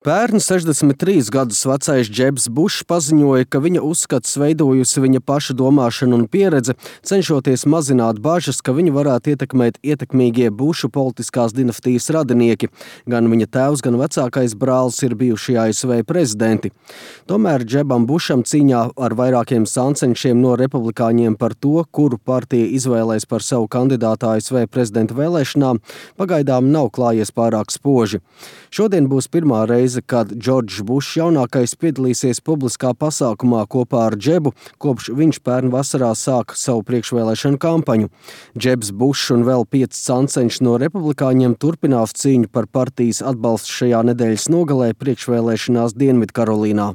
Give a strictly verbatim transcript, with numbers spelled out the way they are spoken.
Pērn sešdesmit trīs gadus vecais Džebs Bušs paziņoja, ka viņa uzskats veidojusi viņa paša domāšana un pieredze, cenšoties mazināt bažas, ka viņu varētu ietekmēt ietekmīgie Bušu politiskās dinastijas radinieki. Gan viņa tēvs, gan vecākais brālis ir bijušie A S V prezidenti. Tomēr Džebam Bušam cīņā ar vairākiem sancenšiem no republikāņiem par to, kuru partija izvēlēs par savu kandidātu A S V prezidenta vēlēšanām, pagaidām nav klājies pārāk spoži. Šodien būs pirmā reize, kad Džordžs Bušs jaunākais piedalīsies publiskā pasākumā kopā ar Džebu, kopš viņš pērn vasarā sāka savu priekšvēlēšanu kampaņu. Džebs Bušs un vēl pieci sancenši no republikāņiem turpinās cīņu par partijas atbalstu šajā nedēļas nogalē priekšvēlēšanās Dienvidkarolīnā.